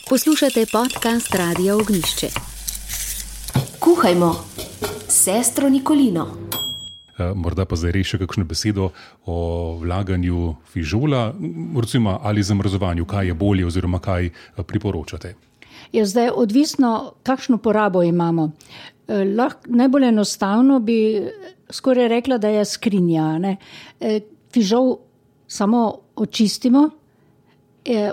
Poslušate podcast Radia Ognjišče. Kuhajmo s sestro Nikolino. Morda pa zdaj reši kakšno besedo o vlaganju fižola, recimo, ali zamrzovanju, kaj je bolje oziroma kaj priporočate. Je zdaj odvisno, kakšno porabo imamo. Najbolj enostavno bi skoraj rekla, da je skrinja. Ne? Fižol samo očistimo,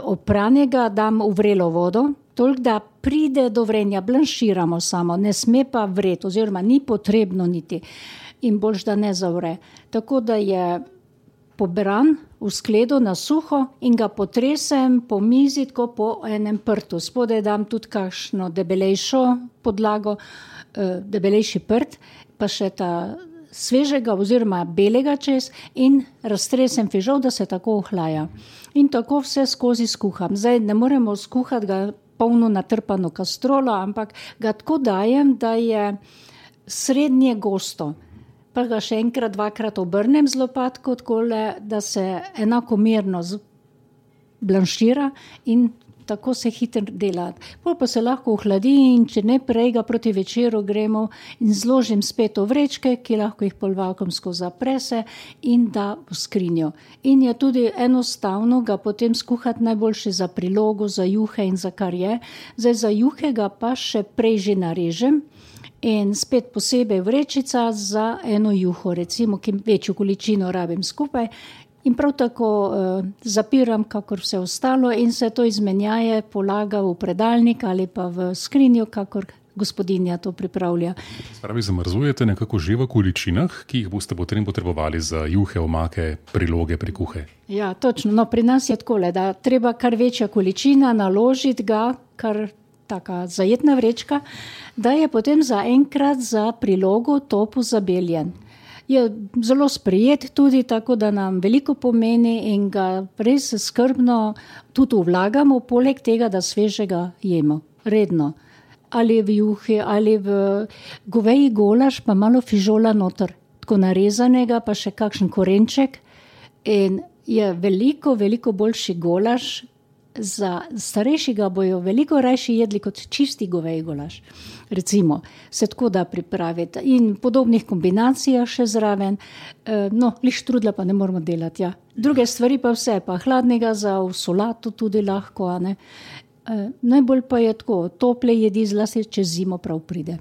opranega dam v vrelo vodo, toliko da pride do vrenja, blanširamo samo, ne sme pa vreti, oziroma ni potrebno niti. In boljš, da ne zavre. Tako da je pobran v skledu na suho in ga potresem po mizi, tako po enem prtu. Spodaj dam tudi kakšno debelejšo podlago, debelejši prt, pa še ta svežega oziroma belega čez in raztresem fižol, da se tako ohlaja. In tako vse skozi skuham. Zdaj ne moremo skuhati ga polno natrpano kastrolo, ampak ga tako dajem, da je srednje gosto. Pa ga še enkrat, dvakrat obrnem z lopatko, takole, da se enakomerno blanšira in tako se hitro dela. Potem pa se lahko ohladi in če ne prej ga proti večeru gremo in zložim spet v vrečke, ki lahko jih polvakumsko zaprese in da v skrinjo. In je tudi enostavno ga potem skuhati najboljše za prilogo, za juhe in za kar je. Zdaj za juhe ga pa še prej že narežem. In spet posebej vrečica za eno juho, recimo, ki večjo količino rabim skupaj. In prav tako zapiram, kakor vse ostalo in se to izmenjaje, polaga v predalnik ali pa v skrinjo, kakor gospodinja to pripravlja. Spravi, zamrzujete nekako že v količinah, ki jih boste potem potrebovali za juhe, omake, priloge, prikuhe? Ja, točno. No, pri nas je takole, da treba kar večja količina naložiti ga, kar taka zajetna vrečka, da je potem za enkrat za prilogo topu zabeljen. Je zelo sprejet tudi, tako da nam veliko pomeni in ga res skrbno tudi vlagamo, poleg tega, da svežega jemo, redno. Ali v juhi, ali v goveji golaž, pa malo fižola noter, tako narezanega, pa še kakšen korenček. In je veliko boljši golaž. Za starejši ga bojo veliko rajši jedli kot čisti goveji golaž. Recimo, se tako da pripraviti in podobnih kombinacijah še zraven. Liš trudla pa ne moramo delati, ja. Druge stvari pa vse, pa hladnega za v solato tudi lahko, a ne. Najbolj pa je tako, tople jedi zlasti čez zimo prav pride.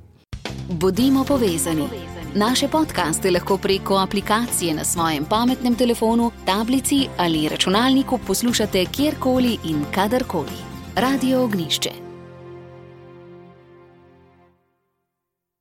Bodimo povezani. Naše podcaste lahko preko aplikacije na svojem pametnem telefonu, tablici ali računalniku poslušate kjerkoli in kadarkoli. Radio Ognjišče.